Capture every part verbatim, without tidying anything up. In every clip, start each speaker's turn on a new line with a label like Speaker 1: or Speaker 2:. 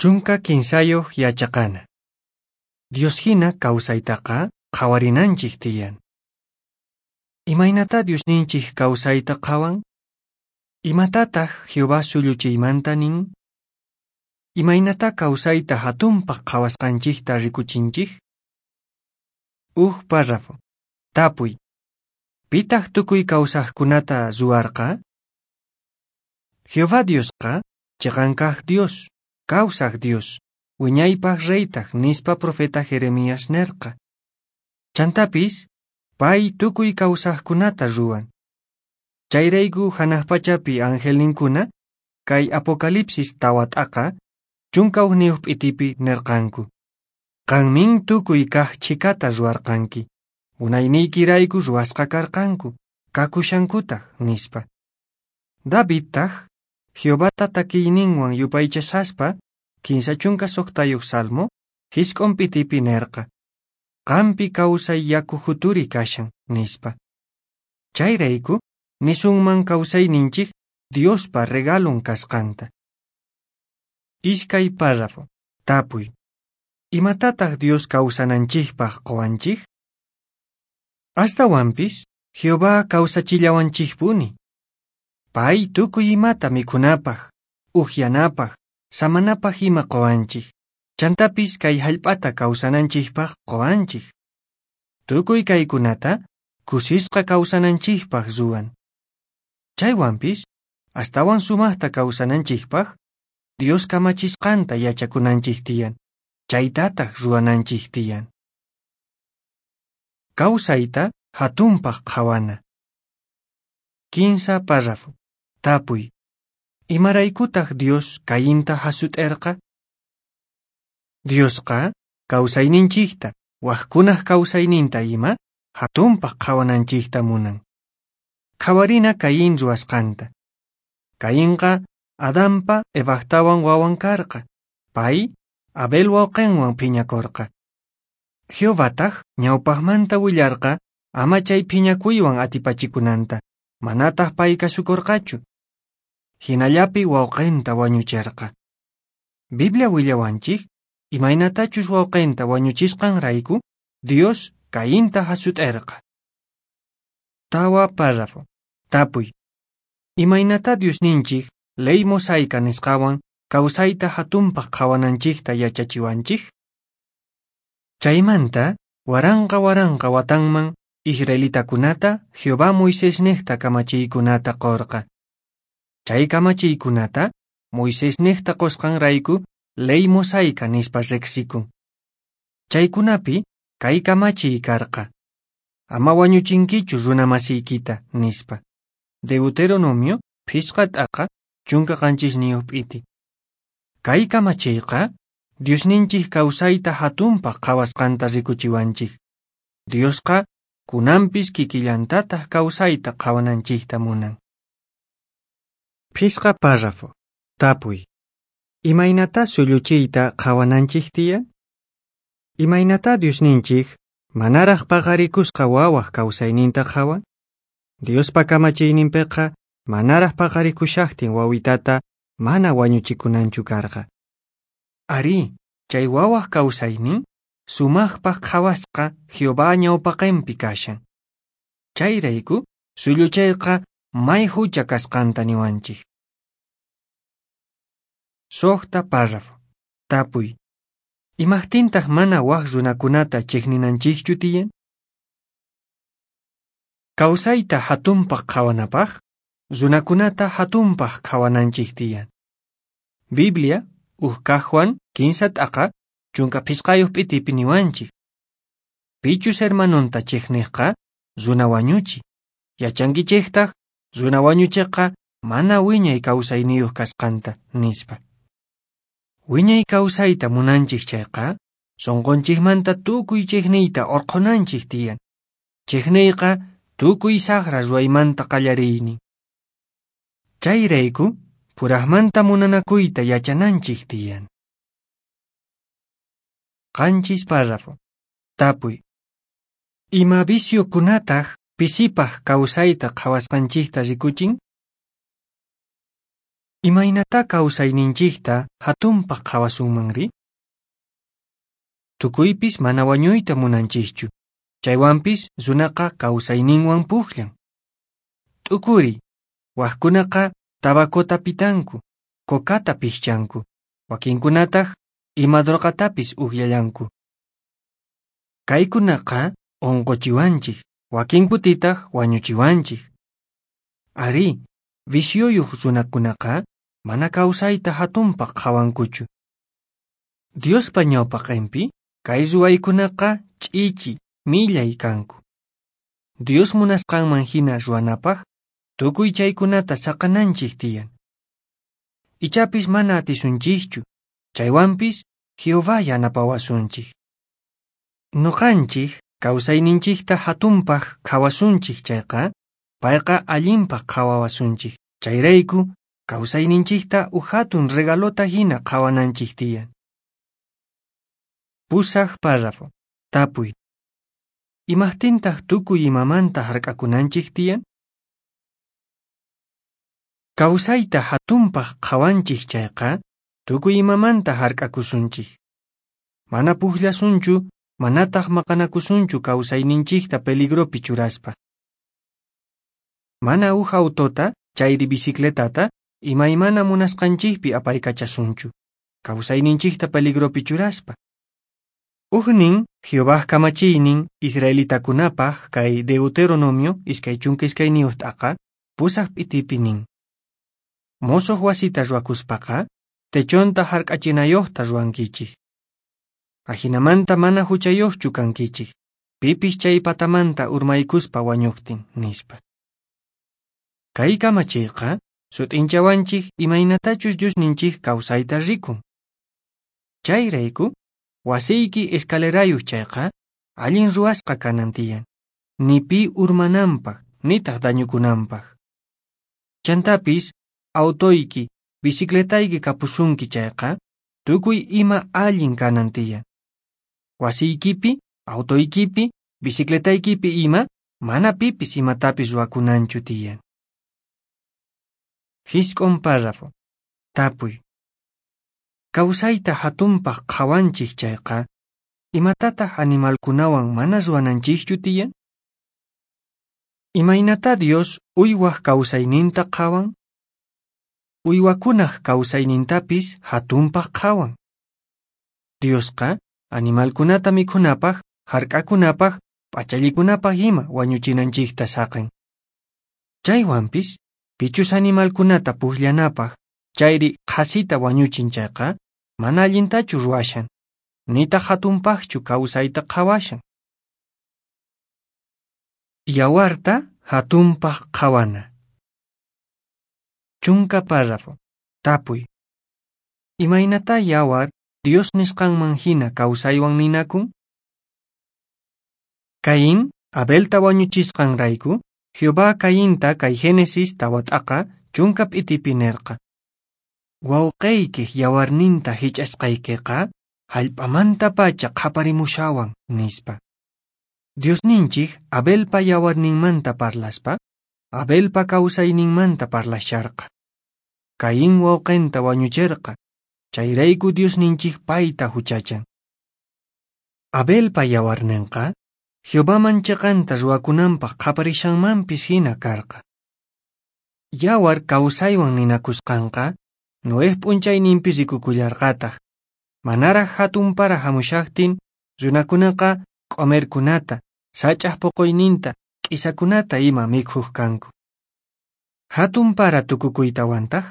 Speaker 1: Chunka kinsayuq yachaqana. Dios hina kawsaytaqa qhawarinanchik tiyan. Imaynata Diosninchik kawsayta qhawan? Imatataq Jehová sulluchiymanta nin? Imaynata kawsayta hatunpaq qhawasqanchikta rikuchinchik? Uj párrafo. Tapuy. Pitaq tukuy kawsaqkunata ruwarqa? Jehová Diosqa chiqan kaq Dios, kawsaq Dios, wiñaypaq reytaq nispa profeta Jeremías nerqa. Chantapis, pay tukuy kawsaqkunata ruwan. Chayrayku hanaq pachapi angelninkuna kay Apocalipsis tawa t'aqa chunka hukniyuq p'itipi nerqanku. Qanmin tukuy kaq chhikata ruwarqanki, unayniykirayku ruwasqa karqanku, kakushankutaq nispa. Davidtaq Jehovata takiyninwan yupaychasaspa kinsa chunka suqtayuq salmo jisq'un p'itipi nerqa. Qampi kawsay yaku juturi kashan nispa. Chayrayku nisunman kawsayninchik Diospa regalon kasqanta. Iskay párrafo. Tapuy. Imatataq Dios kawsananchikpaq quwanchik? Astawanpis Jehová kawsachillawanchikpuni. Pay tukuy imata mikhunapaq, uqyanapaq, samanapaq ima quwanchik. Chantapis kay hallp'ata kawsananchikpaq quwanchik. Tukuy kaykunata kusisqa kawsananchikpaq ruwan. Chaywanpis astawan sumaqta kawsananchikpaq Dios kamachisqanta yachakunanchik tiyan, chaytataq ruwananchik tiyan. Kawsayta hatunpaq qhawana. Kinsa párrafo. Tapuy. Imaraykutaq Dios Cainta hasut'erqa? Diosqa kawsayninchikta, waqkunaq kawsayninta ima hatunpaq qhawananchikta munan. Qhawarina Caín ruwasqanta. Cainqa Adanpa Evaqtawan wawan karqa. Pay Abel wawqinwan phiñakurqa. Jehovataq ñawpaqmanta willarqa ama chay phiñakuywan atipachikunanta, manataq pay kasukurqachu. Hinallapi wawqinta wañuchirqa. Biblia willawanchik imaynatachus wawqinta wañuchisqanrayku Dios Cainta hasut'erqa. Tawa párrafo. Tapuy. Imaynata Diosninchik ley mosaica nisqawan kawsayta hatunpaq qhawananchikta yachachiwanchik? Chaymanta waranqa waranqa watanman israelitakunata Jehová Moisésniqta kamachiykunata qurqa. Chay kamachiykunata Moisésniqta qusqanrayku ley mosaica nispa riqsikun. Chaykunapi kay kamachiy karqa. Ama wañuchinkichu runa masiykita nispa. Deuteronomio phisqa t'aqa chunka qanchisniyuq p'iti. Kay kamachiyqa Diosninchik kawsayta hatunpaq qhawasqanta rikuchiwanchik. Diosqa kunanpis kikillantataq kawsayta qhawananchikta munan. Phisqa párrafo. Tapuy. Imaynata sulluchiyta qhawananchik tiyan? Imaynata Diosninchik manaraq paqarikusqa wawaq kawsayninta qhawan? Diospa kamachiyninpiqa manaraq paqarikushaqtin wawitata mana wañuchikunanchu karqa. Arí, chay wawaq kawsaynin sumaqpaq qhawasqa Jehová ñawpaqinpi kashan. Chayrayku sulluchayqa may hucha kasqanta niwanchik. Suqta párrafo. Tapuy. Imaqtintaq mana waq runakunata chiqninanchikchu tiyan? Kawsayta hatunpaq qhawanapaq, runakunata hatunpaq qhawananchik tiyan. Biblia uj kaq Juan kinsa t'aqa chunka phisqayuq p'itipi niwanchik. Pichus hermanonta chiqniqqa runa wañuchi. Yachankichiktaq runa wañuchiqqa mana wiñay kawsayniyuq kasqanta nispa. Wiñay kawsayta munanchik chayqa sunqunchikmanta tukuy chiqniyta urqhunanchik tiyan. Chiqniyqa tukuy saqra ruwaymanta qallariynin. Chayrayku puraqmanta munanakuyta yachananchik tiyan. Qanchis párrafo. Tapuy. Ima viciokunataq pisipaq kawsayta qhawasqanchikta rikuchin? Imaynatá kawsayninchikta jatunpaq qhawasunmanri? Tukuypis mana wañuyta munanchikchu, chaywanpis runaqa kawsayninwan pukllan. T'ukuriy, wakkunaqa tabacota pitanku, cocata piqchanku, wakinkunataq ima drogatapis uqllallanku. Kaykunaqa unquchiwanchik, wakin kutitaq wañuchiwanchik. Arí, vicioyuq runakunaqa mana kawsayta jatunpaq qhawankuchu. Diospa ñawpaqinpi kay ruwaykunaqa ch'ichi, millay kanku. Dios munasqanman hina ruwanapaq tukuy chaykunata saqananchik tiyan. Ichapis mana atisunchikchu, chaywanpis Jehová yanapawasunchik. Nuqanchik kawsayninchikta hatunpaq qhawasunchik chayqa, payqa allinpaq qhawawasunchik. Chayrayku kawsayninchikta uj hatun regalota hina qhawananchik tiyan. Pusaq párrafo. Tapuy. Imaqtintaq tukuy imamanta hark'akunanchik tiyan? Kawsayta hatunpaq qhawanchik chayqa, tukuy imamanta hark'akusunchik. Mana pukllasunchu, manataq maqanakusunchu kawsayninchikta peligropi churaspa. Mana uj autota, chayri bicicletata, imaymana munasqanchikpi apaykachasunchu, kawsayninchikta peligropi churaspa. Ujnin Jehovaj kamachiynin israelitakunapaq kay Deuteronomio iskay chunka iskayniyuq t'aqa pusaq p'itipi nin. Mosoq wasita ruwakuspaqa techonta hark'achinayuqta ruwankichik. Ajinamanta mana huchayuqchu kankichik, pipis chay patamanta urmaykuspa wañuqtin, nispa. Kay kamachiyqa sut'inchawanchik imaynatachus Diosninchik kawsayta rikun. Chayrayku wasiyki escalerayuq chayqa allin ruwasqa kanan tiyan, ni pi urmananpaq nitaq dañukunanpaq. Chantapis autoyki, bicicletayki kapusunki chayqa tukuy ima allin kanan tiyan. Wasiykipi, autoykipi, bicicletaykipi ima mana pipis imatapis ruwakunanchu tiyan. Jisq'un párrafo. Tapuy. Kawsayta hatunpaq qhawanchik chayqa, imatataq animalkunawan mana ruwananchikchu tiyan? Imaynatá Dios uywaq kawsayninta qhawan? Uywakunaq kawsaynintapis hatunpaq qhawan. Diosqa animalkunata mikhunapaq, hark'akunapaq, p'achallikunapaq ima wañuchinanchikta saqin. Chaywanpis, pichus animalkunata pukllanapaq, chayri qhasita wañuchin chayqa, mana allintachu ruwashan, nitaq hatunpaqchu kawsayta qhawashan. Yawarta hatunpaq qhawana. Chunka párrafo. Tapuy. Imaynatá yawar Dios nisqanman hina kawsaywan ninakun? Caín, Abelta wañuchisqanrayku, Jehová Cainta kay Génesis tawa t'aqa chunka p'itipi nirqa. Wawqiykiq yawarninta hich'asqaykiqa hallp'amantapacha qhaparimushawan, nispa. Diosninchik Abelpa yawarninmanta parlaspa, Abelpa kawsayninmanta parlasharqa. Caín wawqinta wañuchirqa, chayrayku Diosninchik payta huchachan. Abelpa yawarninqa Jehovaman chiqanta ruwakunanpaq qhaparishanmanpis hina karqa. Yawar kawsaywan ninakusqanqa Noej p'unchayninpi rikukullarqataq. Manaraq hatun para hamushaqtin, runakunaqa q'umirkunata, sach'aq puquyninta, k'isakunata ima mikhuq kanku. Hatun para tukukuytawantaq,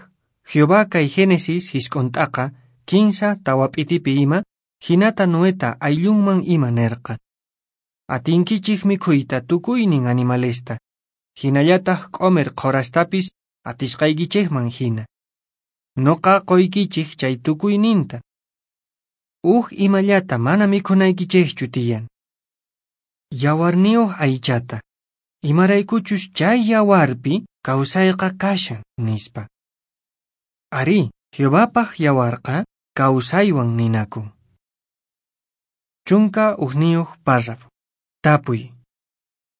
Speaker 1: Jehová kay Génesis jisq'un t'aqa kinsa tawa p'itipi ima, hinata Noeta ayllunman ima nirqa. Atinkichik mikhuyta tukuynin animalesta, hinallataq q'umir qhurastapis atisqaykichikman hina. Noqa quykichik chay tukuyninta. Uj imallata mana mikhunaykichikchu tiyan. Yawarniyuq aychata, imaraykuchus chay yawarpi kawsayqa kashan, nispa. Arí, Jehovapaq yawarqa kawsaywan ninakun. Chunka ujniyuq párrafo. Tapuy.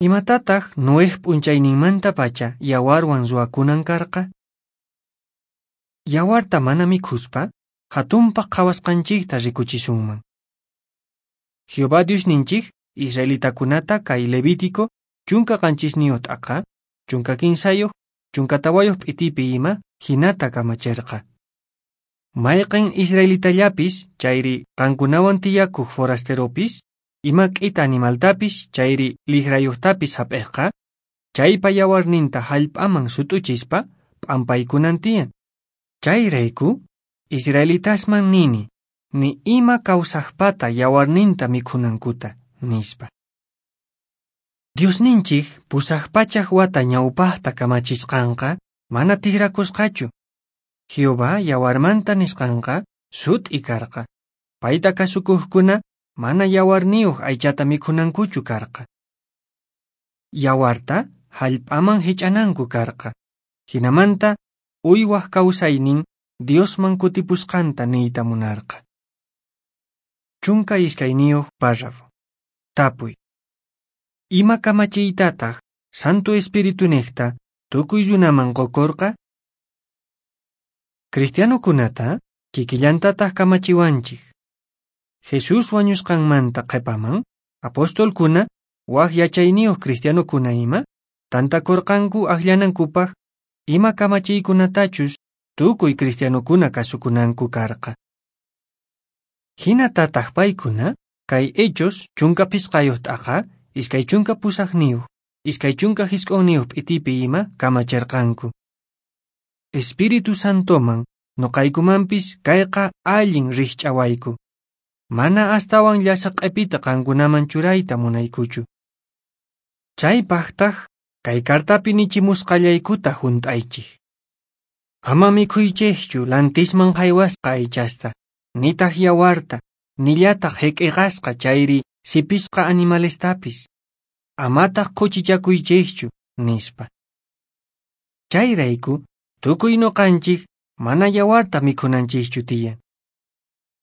Speaker 1: Imatataq Noej p'unchayninmantapacha yawarwan ruwakunan karqa? Yawarta mana mikhuspa, jatunpaq qhawasqanchikta rikuchisunman. Jehová Diosninchik israelitakunata kay Levítico chunka qanchisniyuq t'aqa, chunka kinsayuq, chunka tawayuq p'itipi ima hinata kamachirqa. Mayqin israelitallapis chayri qankunawan tiyakuq forasteropis, ima k'ita animaltapis chayri liqrayuqtapis hap'iqqa, chaypa yawarninta hallp'aman sut'uchispa p'ampaykunan tiyan. Chayrayku, israelitasman nini, ni ima kawsaqpata yawarninta mikhunankuta, nispa. Diosninchik pusaq pachak wata ñawpaqta kamachisqanqa mana tikrakusqachu. Jehová yawarmanta nisqanqa sut'i karqa. Payta kasukuqkuna mana yawarniyuq aychata mikhunankuchu karqa. Yawarta hallp'aman hich'ananku karqa. Hinamanta uywaq kawsaynin Diosman kutipusqanta niyta munarqa. Chunka iskayniyuq párrafo. Tapuy. Ima kamachiytataq Santo Espiritunejta tukuy runaman qukurqa? Cristianokunata kikillantataq kamachiwanchik. Jesús wañusqanmanta qhipaman, apostolkuna wak yachayniyuq cristianokuna ima tantakurqanku akllanankupaq ima kamachiykunatachus tukuy cristianokuna kasukunanku karqa. Hinatataq paykuna kay Hechos chunka phisqayuq t'aqa, iskay chunka pusaqniyuq, iskay chunka hisq'unniyuq p'itipi ima kamachirqanku. Espíritu Santoman nuqaykumanpis kayqa allin rikch'awayku. Mana astawan llasa q'ipita qankunaman churayta munaykuchu. Chaypaqtaq kay cartapi nichimusqallaykuta hunt'aychik. Ama mikhuychikchu lantisman haywasqa aychasta, nitaq yawarta, nillataq hik'iqasqa chayri sipisqa animalestapis. Amataq khuchichakuychikchu, nispa. Chayrayku, tukuy nuqanchik mana yawarta mikhunanchikchu tiyan.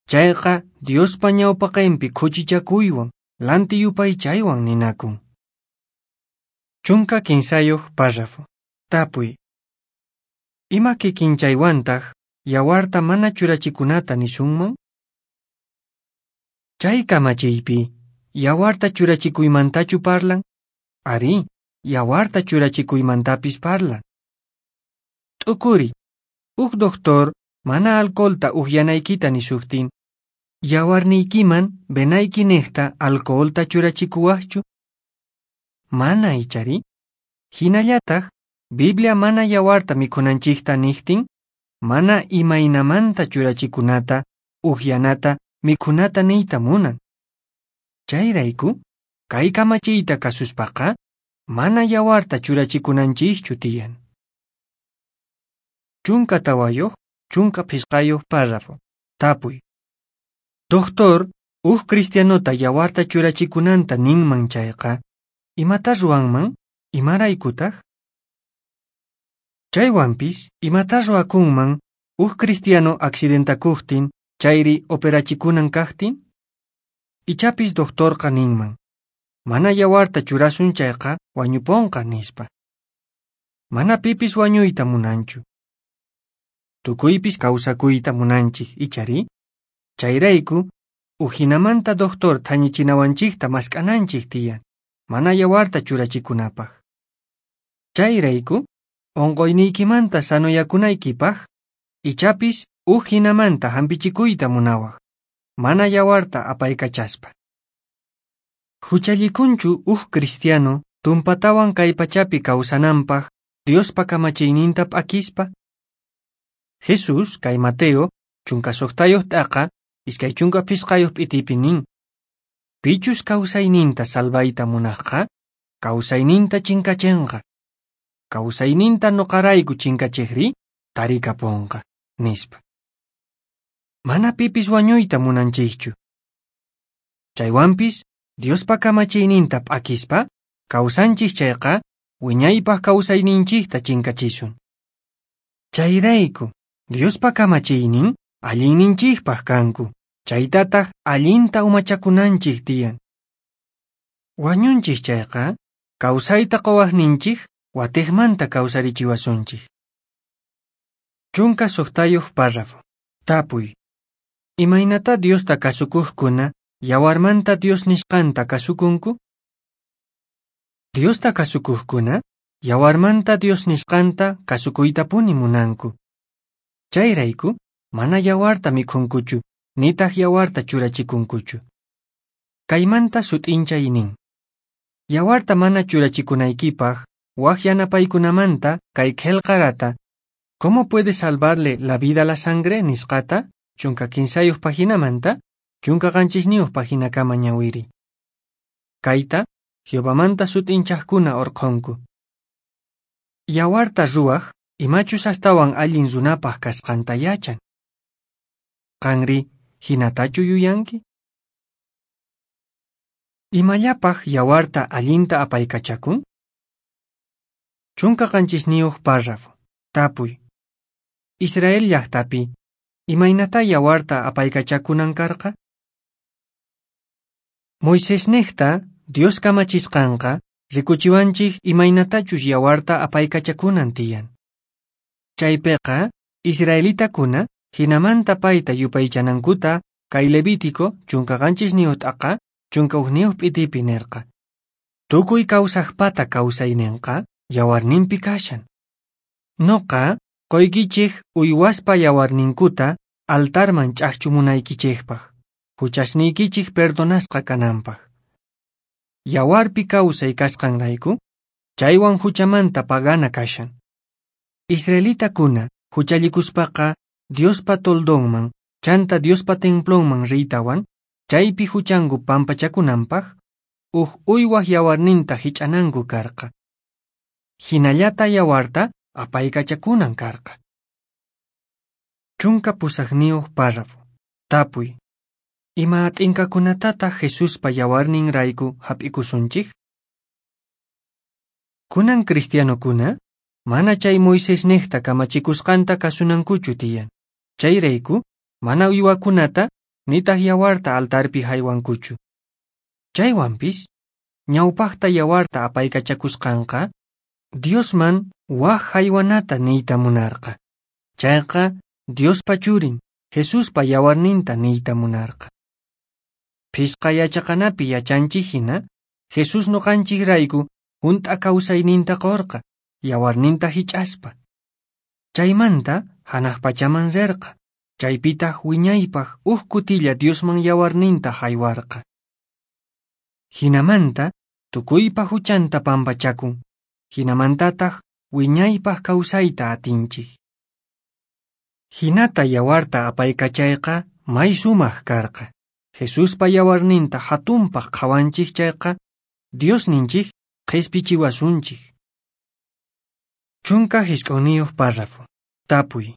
Speaker 1: Chayqa Diospa ñawpaqinpi khuchichakuywan, lanti yupaychaywan ninakun. Chunka kinsayuq párrafo. Tapuy. Ima kikinchaywantaq yawarta mana churachikunata nisunman? Chay kamachiypi, yawarta churachikuymantachu parlan? Arí, yawarta churachikuymantapis parlan. T'ukuri, huk doctor mana alcoholta uhyanaykita nisuqtin, yawarniykiman venayki niqta alcoholta churachikuwaqchu? Mana ichari? Hinallataq, Biblia mana yawarta mikhunanchikta niqtin, mana imaynamanta churachikunata, uhyanata, mikhunata niyta munan. Chayrayku, kay kamachiyta kasuspaqa, mana yawarta churachikunanchikchu tiyan. Chunka tawayuq, chunka phisqayuq párrafo. Tapuy. Doctor, huk cristianota yawarta churachikunanta ninman chayqa, imata ruwanman, imaraykutaq? Chaywanpis, imata ruwakunman huk cristiano accidentakuqtin chayri operachikunan kaqtin? Ichapis doctorqa ninman, mana yawarta churasun chayqa wañuponqa nispa. Mana pipis wañuyta munanchu. Tukuypis kawsakuyta munanchik ichari? Chayrayku, ujinamanta doctor thañichinawanchikta mask'ananchik tiyan, mana yawarta churachikunapaq. Chayrayku, unquyniykimanta sanoyakunaykipaq, ichapis uj hinamanta hampichikuyta munawaq, mana yawarta apaykachaspa. Huchallikunchu uj cristiano tumpatawan kay pachapi kawsananpaq Diospa kamachiyninta p'akispa? Jesús kay Mateo chunka suqtayuq t'aqa iskay chunka phisqayuq p'itipi nin, pichus kawsayninta salvayta munaqqa, kawsayninta chinkachinqa. Kawsayninta nuqarayku chinkachiqri tarikapunqa, nispa. Mana pipis wañuyta munanchikchu. Chaywanpis Diospa kamachiyninta p'akispa, kawsanchik chayqa wiñaypaq kawsayninchikta chinkachisun. Chayrayku, Diospa kamachiynin allinninchikpaq kanku, chaytataq allinta umachakunanchik tiyan. Wañunchik chayqa, kawsayta quwaqninchik watiqmanta kawsarichiwasunchik. Chunka suqtayuq párrafo. Tapuy. Imaynatá Diosta kasukuqkuna yawarmanta Dios nisqanta kasukunku? Diosta kasukuqkuna yawarmanta Dios nisqanta kasukuytapuni munanku. Chayrayku mana yawarta mikhunkuchu, nitaq yawarta churachikunkuchu. Kaymanta sut'inchay nin. Yawarta mana churachikunaykipaq wak yanapaykunamanta kay qillqarata ¿Cómo puede salvarle la vida la sangre? Nisqata chunka kinsayuq paginamanta chunka qanchisniyuq paginakama ñawiri. Kayta Jehovamanta sut'inchaqkuna urqhunku. Yawarta ruwaq imachus astawan allin runapaq kasqanta yachan. Qanri hinatachu yuyanki? Imallapaq yawarta allinta apaykachakun? Chunka qanchisniyuq párrafo. Tapuy. Israel llaqtapi, imaynatá yawarta apaykachakunan karqa? Moisésniqta Dios kamachisqanqa rikuchiwanchik imaynatachus yawarta apaykachakunan tiyan. Chaypiqa israelitakuna hinamanta payta yupaychanankuta kay Levítico chunka qanchisniyuq t'aqa chunka hukniyuq p'itipi nirqa. Tukuy kawsaqpata kawsayninqa yawarninpi kashan. Noqa qoykichik uywaspa yawarninkuta altarman ch'aqchumunaykichikpaq, huchasniykichik perdonasqa kananpaq. Yawarpi kawsay kasqanrayku, chaywan huchamanta pagana kashan. Israelitakuna huchallikuspaqa Diospa toldonman, chanta Diospa templonman riytawan, chaypi huchanku pampachakunanpaq, huk uywaq yawarninta hich'ananku karqa. Hinallata yawarta apaykachakunan karqa. Chunka pusaqniyuq párrafo. Tapuy. Ima t'inkakunatataq Jesuspa yawarninrayku hap'ikusunchik? Kunan cristianokuna mana chay Moisésniqta kamachikusqanta kasunankuchu tiyan. Chayrayku mana uywakunata nitaq yawarta altarpi haywankuchu. Chaywanpis ñawpaqta yawarta apaykachakusqanqa Diosman wak haywanata niyta munarqa. Chayqa Diospa churin Jesuspa yawarninta niyta munarqa. Phisqa yachaqanapi yachanchik hina Jesús nuqanchikrayku hunt'a kawsayninta qurqa yawarninta hich'aspa. Chaymanta hanaq pachaman rirqa, chaypitaq wiñaypaq huk kutilla Diosman yawarninta haywarqa. Hinamanta tukuypa huchanta pampachakun, hinamantataq wiñaypaq kawsayta atinchik. Hinata yawarta apaykachayqa may sumaq karqa. Jesuspa yawarninta hatunpaq qhawanchik chayqa Diosninchik qhispichiwasunchik. Chunka hisq'unniyuq párrafo. Tapuy.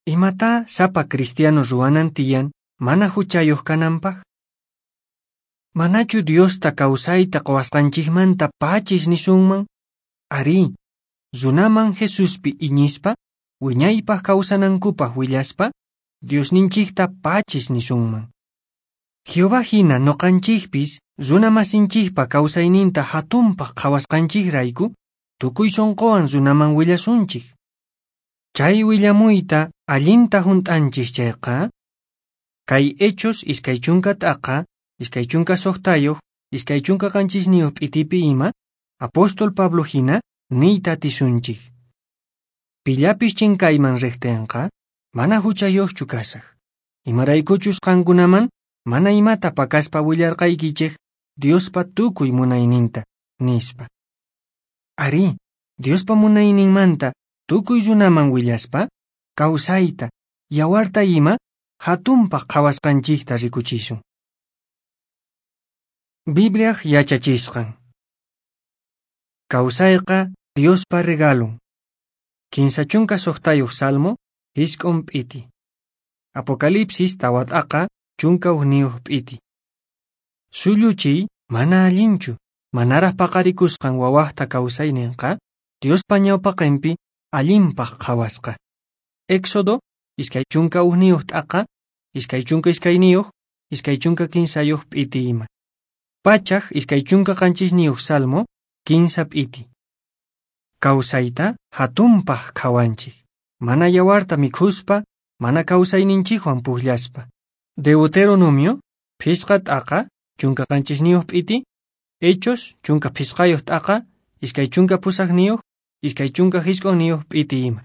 Speaker 1: Imatá sapa cristiano ruwanan tiyan mana huchayuq kananpaq? Manachu Diosta kawsayta quwasqanchikmanta pachis nisunman? Arí, runaman Jesuspi iñispa, wiñaypaq kawsanankupaq willaspa, Diosninchikta pachis nisunman. Jehová hina nuqanchikpis runa masinchikpa kawsayninta hatunpaq qhawasqanchikrayku, tukuy sunquwan runaman willasunchik. Chay willamuyta allinta hunt'anchik chayqa, kay Hechos iskay chunka t'aqa, iskay chunka suqtayuq, iskay chunka qanchisniyuq p'itipi ima, apóstol Pablo hina niyta atisunchik. Pillapis chinkayman riqtinqa, mana huchayuqchu kasaq. Imaraykuchus qankunaman mana imata pakaspa willarqaykichik Diospa tukuy munayninta, nispa. Arí, Diospa munayninmanta tukuy runaman willaspa, kawsayta, yawarta ima hatunpaq qhawasqanchikta rikuchisun. Bibliaq yachachisqan. Kawsayqa Diospa regalon. Kinsa chunka suqtayuq Salmo, isq'un p'iti. Apocalipsis tawa t'aqa chunka hukniyuq p'iti. Sulluchiy mana allinchu, manaraq paqarikusqan wawaqta kawsayninqa Diospa ñawpaqinpi allinpaq qhawasqa. Éxodo iskay chunka hukniyuq t'aqa, iskay chunka iskayniyuq, iskay chunka kinsayuq p'iti ima. Pachaq iskay chunka qanchisniyuq Salmo, kinsa p'iti. Kawsayta hatunpaq qhawanchik, mana yawarta mikhuspa, mana kawsayninchikwan pukllaspa. Deuteronomio, phisqa t'aqa, chunka qanchisniyuq p'iti, Hechos, chunka phisqayuq t'aqa, iskay chunka pusaqniyuq, iskay chunka hisq'unniyuq p'iti ima.